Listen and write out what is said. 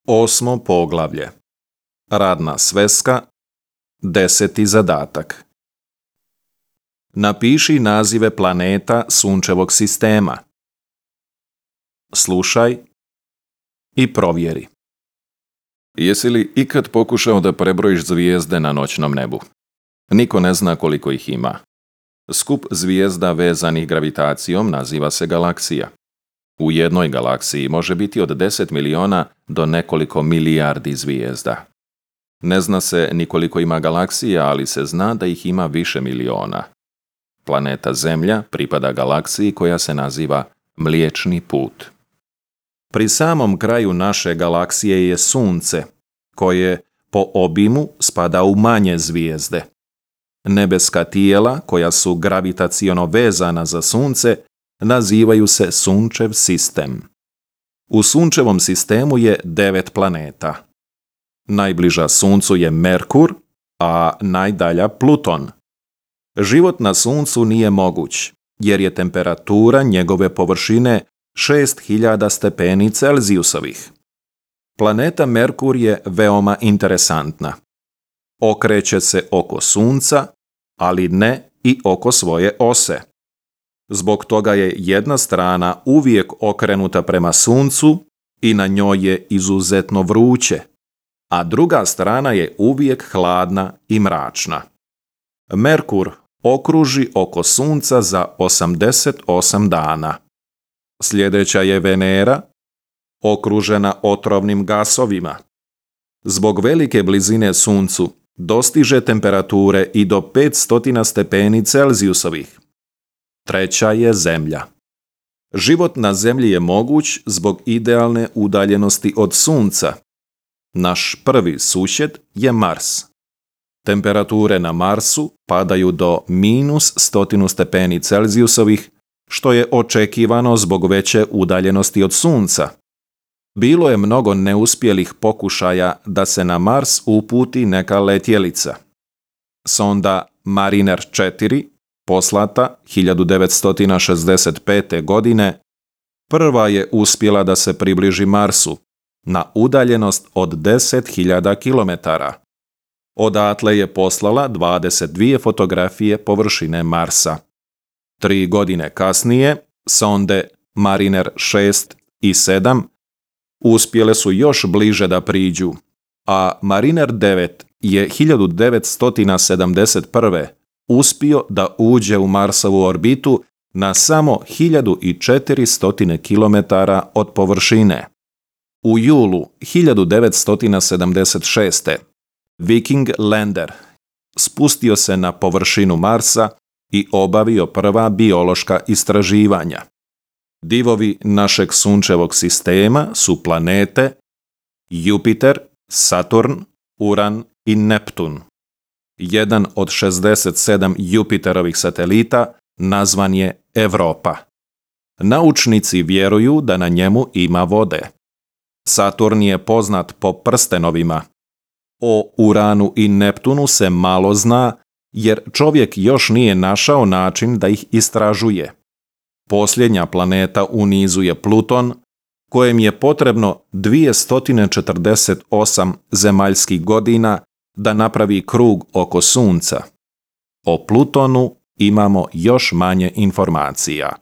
Osmo poglavlje. Radna sveska. 10. zadatak. Napiši nazive planeta Sunčevog sistema. Slušaj i provjeri. Jesi li ikad pokušao da prebrojiš zvijezde na noćnom nebu? Niko ne zna koliko ih ima. Skup zvijezda vezanih gravitacijom naziva se galaksija. U jednoj galaksiji može biti od 10 miliona do nekoliko milijardi zvijezda. Ne zna se ni koliko ima galaksija, ali se zna da ih ima više miliona. Planeta Zemlja pripada galaksiji koja se naziva Mliječni put. Pri samom kraju naše galaksije je Sunce, koje po obimu spada u manje zvijezde. Nebeska tijela koja su gravitaciono vezana za Sunce nazivaju se Sunčev sistem. U Sunčevom sistemu je 9 planeta. Najbliža Suncu je Merkur, a najdalja Pluton. Život na Suncu nije moguć, jer je temperatura njegove površine 6000 stepeni Celzijusovih. Planeta Merkur je veoma interesantna. Okreće se oko Sunca, ali ne i oko svoje ose. Zbog toga je jedna strana uvijek okrenuta prema Suncu i na njoj je izuzetno vruće, a druga strana je uvijek hladna i mračna. Merkur okruži oko Sunca za 88 dana. Sljedeća je Venera, okružena otrovnim gasovima. Zbog velike blizine Suncu dostiže temperature i do 500 stepeni Celzijusovih. Treća je Zemlja. Život na Zemlji je moguć zbog idealne udaljenosti od Sunca. Naš prvi susjed je Mars. Temperature na Marsu padaju do -100 stepeni Celzijusovih, što je očekivano zbog veće udaljenosti od Sunca. Bilo je mnogo neuspjelih pokušaja da se na Mars uputi neka letjelica. Sonda Mariner 4, poslata 1965. godine, prva je uspjela da se približi Marsu na udaljenost od 10.000 km. Odatle je poslala 22 fotografije površine Marsa. 3 godine kasnije, sonde Mariner 6 i 7 uspjele su još bliže da priđu, a Mariner 9 je 1971. uspio da uđe u Marsovu orbitu na samo 1400 km od površine. U julu 1976. Viking Lander spustio se na površinu Marsa i obavio prva biološka istraživanja. Divovi našeg Sunčevog sistema su planete Jupiter, Saturn, Uran i Neptun. Jedan od 67 Jupiterovih satelita nazvan je Europa. Naučnici vjeruju da na njemu ima vode. Saturn je poznat po prstenovima. O Uranu i Neptunu se malo zna, jer čovjek još nije našao način da ih istražuje. Posljednja planeta u nizu je Pluton, kojem je potrebno 248 zemaljskih godina da napravi krug oko Sunca. O Plutonu imamo još manje informacija.